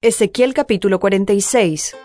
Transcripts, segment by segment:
Ezequiel capítulo 46.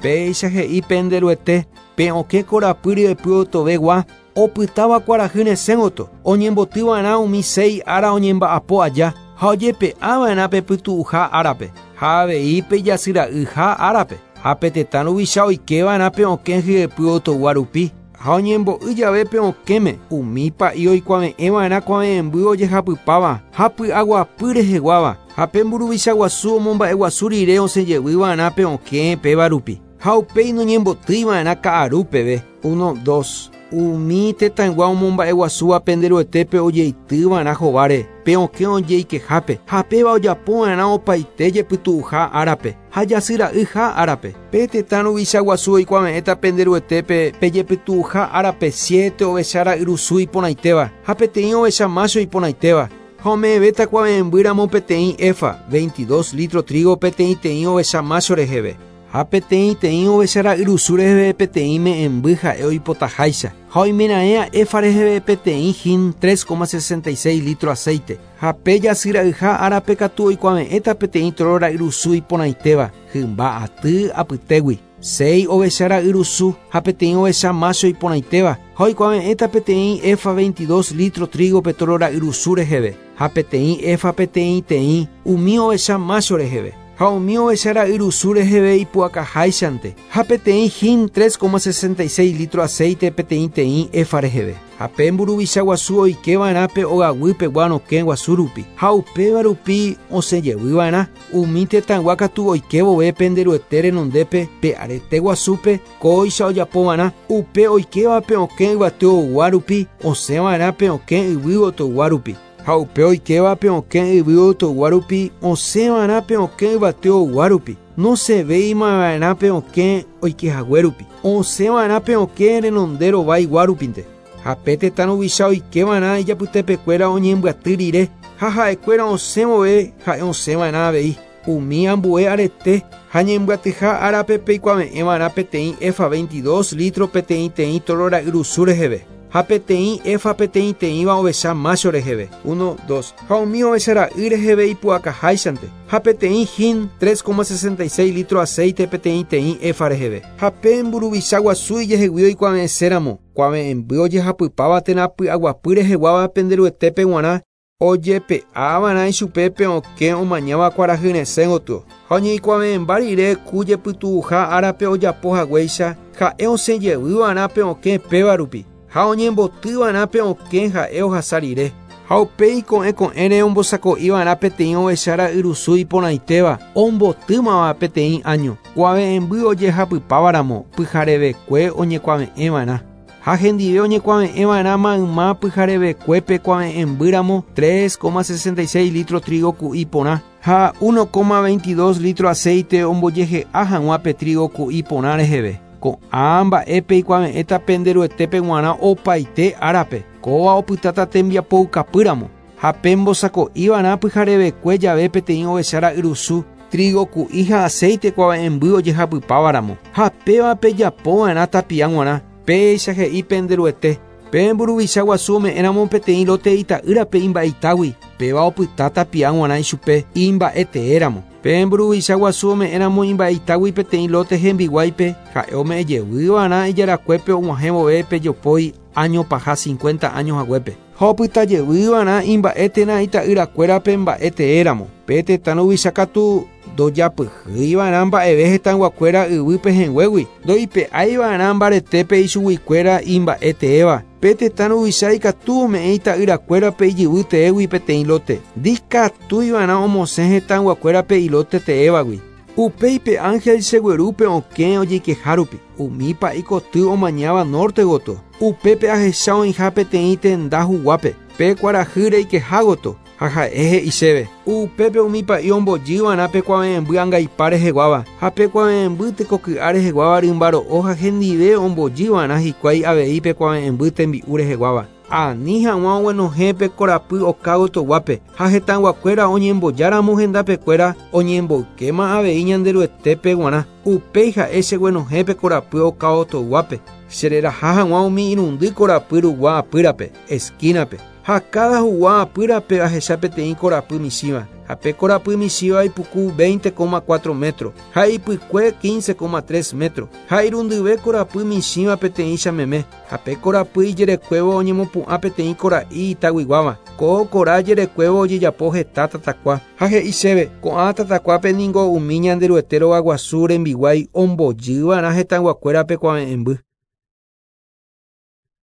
Péicha he'i pende Ruete, pe okẽ korapy ryepy otovegua, opytáva kuarahy resẽ gotyo, oñemboty va'erã umi séi ára oñemba'apo aja, ha ojepe'a va'erã pe pytu'uha árape, ha avei pe jasyra'yha árape, ha pe tetã ruvicha oike va'erã pe okẽ hyepy otogua rupi. Ha oñembo'y jave pe okẽme, umi pa'i oikuave'ẽ va'erã kuave'ẽmby ojehapypáva ha py'aguapy reheguáva, ha pe mburuvicha guasu omomba'eguasu rire osẽ jevy va'erã pe okẽ péva rupi, ha upéi noñembotýi va'erã ka'aru peve. Uno, dos. Umi tetãygua omomba'eguasúva pende Ruetépe ojeity va'erã hováre pe okẽ ojeikehápe, ha péva ojapo va'erã opaite jepytu'uha árape ha jasy ra'yha árape. Pe tetã ruvicha guasu oikuave'ẽta pende Ruetépe pe jepytu'uha árape siete ovecha ra'yrusu iporãitéva ha peteĩ ovecha mácho iporãitéva, ha ome'ẽvéta kuave'ẽmby ramo peteĩ éfa, veintidós lítro trígo peteĩteĩ ovecha mácho reheve. Ha peteĩteĩ ovecha ra'yrusu reheve peteĩ me'ẽmby ha'e oipotaháicha, ha oimeraẽa éfa reheve peteĩ hin 3,66 lítro aséite. Ha pe jasy ra'yha árape katu oikuave'ẽta peteĩ tóro ra'yrusu iporãitéva, hymba aty apytégui, séi ovecha ra'yrusu ha peteĩ ovecha mácho iporãitéva, ha oikuave'ẽta peteĩ éfa veintidós lítro trígo pe tóro ra'yrusu reheve, ha peteĩ éfa peteĩteĩ umi ovecha mácho reheve, ha umi ovecha ra'yrusu reheve ipu'akaháichante, ha peteĩ hin 3,66 lítro aséite peteĩteĩ éfa reheve. Ha pe mburuvicha guasu oike va'erã pe ogaguy pegua rokẽ guasu rupi, ha upéva rupi osẽ jevy va'erã. Umi tetãygua katu oike vove pende Ruete renondépe pe arete guasúpe, kóicha ojapo va'erã, upe oikéva pe okẽ yvate ogua rupi, osẽ va'erã pe okẽ yvy gotogua rupi. Ha upe oikéva pe okẽ yvy gotogua rupi, osẽ va'erã pe okẽ yvate ogua rupi. Nosẽvéima va'erã pe okẽ oike hague rupi, osẽ va'erã pe okẽ renonde rovaigua rupinte. Ha pe tetã ruvicha oike va'erã ijapytepekuéra oñembyaty rire, ha ha'ekuéra osẽ vove ha'e osẽ va'erã avei. Umi ambue arete ha ñembyatyha árape peikuave'ẽ va'erã peteĩ éfa veintidós lítro peteĩteĩ tóro ra'yrusu reheve, ha peteĩ éfa peteĩteĩva ovecha mácho reheve, uno, dos, ha umi ovecha ra'y reheve ipu'akaháichante, ha peteĩ hin 3,66 lítro aséite peteĩteĩ éfa reheve. Ha pe mburuvicha guasu ijehegui oikuave'ẽséramo, kuave'ẽmby ojehapypáva térã py'aguapy reheguáva pende Ruetépe g̃uarã, ojepe'a va'erã ichupe pe okẽ omañáva kuarahy resẽ gotyo, ha oñeikuave'ẽmba rire ku jepytu'uha árape ojapo haguéicha, ha'e osẽ jevy va'erã pe okẽ péva rupi, ha oñemboty va'erã pe okẽ ha'e ohasa rire. Ha upéi ko'ẽ ko'ẽre ombosako'i va'erã peteĩ ovecha ra'yrusu iporãitéva, ombotýmava peteĩ áño, kuave'ẽmby ojehapypáva ramo, pyharevekue oñekuave'ẽ va'erã. Ha hendive oñekuave'ẽ va'erã mayma pyharevekuépe kuave'ẽmby ramo 3,66 lítro trígo ku'i porã ha 1,22 lítro aséite ombojehe'a hag̃ua pe trígo ku'i porã reheve. Ko'ã mba'e peikuave'ẽta pende Ruetépe g̃uarã opaite árape, kóva opytáta tembiapoukapy ramo. Ha pembosako'i va'erã pyharevekue jave peteĩ ovecha ra'yrusu, trígo ku'i ha aséite kuave'ẽmby ojehapypáva ramo, ha péva pejapo va'erã tapia g̃uarã. Péicha he'i pende Ruete, Pe mburuvicha guasu ome'ẽramo peteĩ lóte ita'ýrape imba'eitágui, péva opyta tapia g̃uarã ichupe imba'eteéramo. Pe mburuvicha guasu ome'ẽramo imba'eitágui peteĩ lóte hembiguáipe, ha'e ome'ẽ jevy va'erã ijarakuépe og̃uahẽ vove pe jopói áño paha cincuenta áño haguépe. Ha opyta jevy va'erã imba'e térã ita'yrakuérape mba'e teéramo. Pe tetã ruvicha katu ndojapyhýi va'erã mba'eve hetãyguakuéra yvy pehẽnguégui, ndoipe'ái va'erã mbaretépe ichuguikuéra imba'e teéva. Pe tetã ruvicha ikatu ome'ẽ ita'yrakuérape ijyvy teégui peteĩ lóte, ndikatúi va'erã omosẽ hetãyguakuérape ilóte teévagui. Upéi pe ánhel chegueru pe okẽ ojeikeha rupi, umi pa'i koty omañáva nórte gotyo. Upépe ahecha oĩha peteĩ tenda huguápe, pe kuarahy reikeha gotyo, ha ha'e he'i chéve, Upépe umi pa'i ombojy va'erã pe kuave'ẽmby angaipa reheguáva, ha pe kuave'ẽmby tekoky'a reheguáva rymba ro'o ha hendive ombojy va'erã hikuái avei pe kuave'ẽmby tembi'u reheguáva. Ani hag̃ua oguenohẽ pe korapy oka gotoguápe, ha hetãyguakuéra oñembojáramo hendapekuéra oñemboykéma avei Ñanderuetépe g̃uarã, upéi ha'e cheguenohẽ pe korapy oka gotoguápe, chereraha hag̃ua umi irundy korapy rugua apýrape, esquínape. Ha káda hugua apýrape ahecha peteĩ korapy michĩva, ha pe korapy michĩva ipuku 20,4 métro, ha ipykue 15,3 métro, ha irundyve korapy michĩva peteĩcha meme, ha pe korapy ijerekuévo oñemopu'ã peteĩ kora'i itaguiguáva, ko kora jerekuévo ojejapo heta tatakua. Ha he'i chéve, ko'ã tatakuápe ningo umi Ñanderuete rogaguasu rembiguái ombojyva'erã hetãyguakuérape kuave'ẽmby.